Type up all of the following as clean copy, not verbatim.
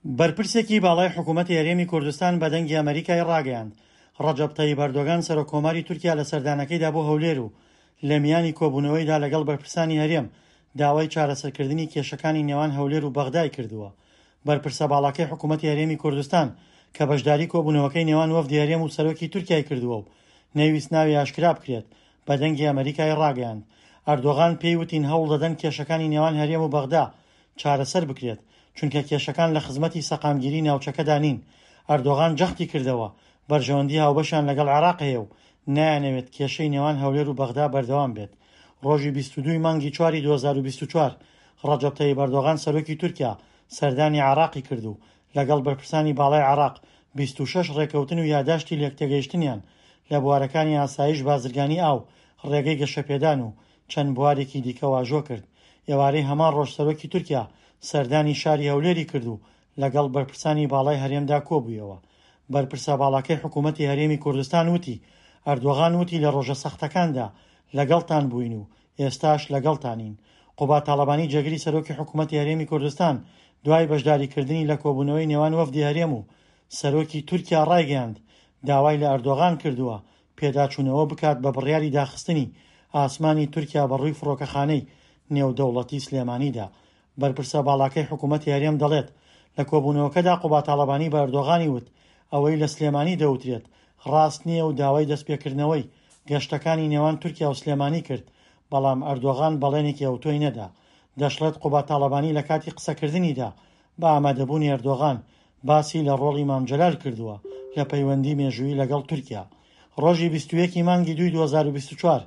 بەرپرسێکی باڵای حکوومەتی هەرێمی کوردستان بە دەنگی ئەمەریکای ڕاگەیاند، ڕەجەب تەیب ئەردۆگان سەرۆک کۆماری تورکیا لە سەردانەکەیدا بۆ هەولێر و لە میانی کۆبوونەوەیدا لەگەڵ بەرپرسانی هەرێم داوای چارەسەرکردنی کێشەکانی نێوان هەولێر و بەغدای کردووە. بەرپرسە باڵاکەی حکوومەتی هەرێمی کوردستان کە بەشداری کۆبوونەوەکەی نێوان وەفدی هەرێم و سەرۆکی تورکیای کردووە و نەیویست ناوی ئاشکرا بکرێت بە دەنگی ئەمەریکای ڕاگەیاند ئەردۆغان پێی وتین هەوڵ دەدەن کێشەکانی نێوان هەرێم و بەغدا چارەسەر بکرێت، چونکە کێشەکان لە خزمەتی سەقامگیری ناوچەکەدا نین. ئەردۆغان جەختی کردەوە، بەرژەوەندی هاوبەشیان لەگەڵ عێراق هەیە و نایانەوێت کێشەی نێوان هەولێر و بەغدا بەردەوام بێت. ڕۆژی 22 ی مانگی چواری 2024 ڕەجەب تەیب ئەردۆغان سەرۆکی تورکیا سەردانی عێراقی کرد و لەگەڵ بەرپرسانی باڵای عێراق 26 ڕێککەوتن و یاداشتی لێکتێگەیشتنیان لە بوارەکانی ئاسایش، بازرگانی ئاو، ڕێگەی گەشەپێدان و چەند بوارێکی دیکە واژۆ کرد. ئێوارەی هەمان ڕۆژ سەرۆکی تورکیا سەردانی شاری هەولێری کرد و لەگەڵ بەرپرسانی باڵای هەرێمدا کۆبوویەوە. بەرپرسە باڵاکەی حکوومەتی هەرێمی کوردستان وتی، ئەردۆغان وتی لە ڕۆژە سەختەکاندا لەگەڵتان بووین و ئێستاش لەگەڵتانین. قوباد تاڵەبانی جێگری سەرۆکی حکوومەتی هەرێمی کوردستان دوای بەشداریکردنی لە کۆبوونەوەی نێوان وەفدی هەرێم و سەرۆکی تورکیا ڕایگەیاند، داوای لە ئەردۆغان کردووە پێداچوونەوە بکات بە بڕیاری داخستنی ئاسمانی تورکیا بە ڕووی فڕۆکەخانەی نێودەوڵەتی سلێمانیدا. بەرپرسە باڵاکەی حکوومەتی هەرێم دەڵێت، لە کۆبوونەوەکەدا قوباد تاڵەبانی بە ئەردۆغانی وت، ئەوەی لە سلێمانی دەوترێت ڕاست نییە و داوای دەستپێکردنەوەی گەشتەکانی نێوان تورکیا و سلێمانی کرد، بەڵام ئەردۆغان بەڵێنێکی ئەوتۆی نەدا. دەشڵێت قوباد تاڵەبانی لە کاتی قسەکردنیدا بە ئامادەبوونی ئەردۆغان باسی لە ڕۆڵی مام جەلال کردووە لە پەیوەندی مێژوویی لەگەڵ تورکیا. ڕۆژی 21 ی مانگی دووی 2024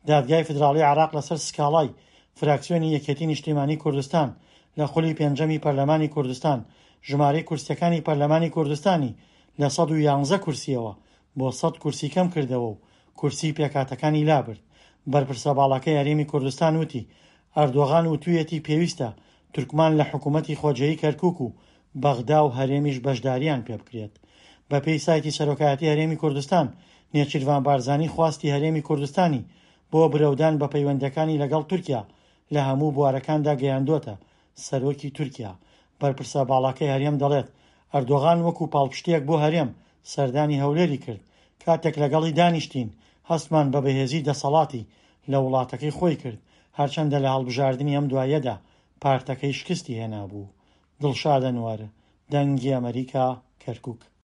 دادگای فیدراڵی عێراق لەسەر سکاڵای فراکسیۆنی یەکێتی نیشتیمانی کوردستان لە خولی پێنجەمی پەرلەمانی کوردستان ژمارەی کورسیەکانی پەرلەمانی کوردستانی لە 111 کورسیەوە بۆ 100 کورسی کەم کردەوە و کورسی پێکهاتەکانی لابرد. بەرپرسە باڵاکەی هەرێمی کوردستان وتی، ئەردۆغان وتویەتی پێویستە تورکمان لە حکومەتی خۆجێی کەرکوک و بەغدا و هەرێمیش بەشدارییان پێبکرێت. بەپێی سایتی سەرۆکایەتی هەرێمی کوردستان، نێچیرڤان بارزانی خواستی هەرێمی کوردستانی بۆ برەودان بە پەیوەندییەکانی لەگەڵ تورکیا لە هەموو بوارەکاندا گەیاندۆتە سەرۆکی تورکیا. بەرپرسە باڵاکەی هەرێم دەڵێت، ئەردۆغان وەکو پاڵپشتییەک بۆ هەرێم سەردانی هەولێری کرد، کاتێک لەگەڵی دانیشتین هەستمان بە بەهێزی دەسەڵاتی لە وڵاتەکەی خۆی کرد، هەرچەندە لە هەڵبژاردنی ئەم دواییەدا پارتەکەی شکستی هێنابوو. دڵشاد ئەنوەر، دەنگی ئەمەریکا، کەرکوک.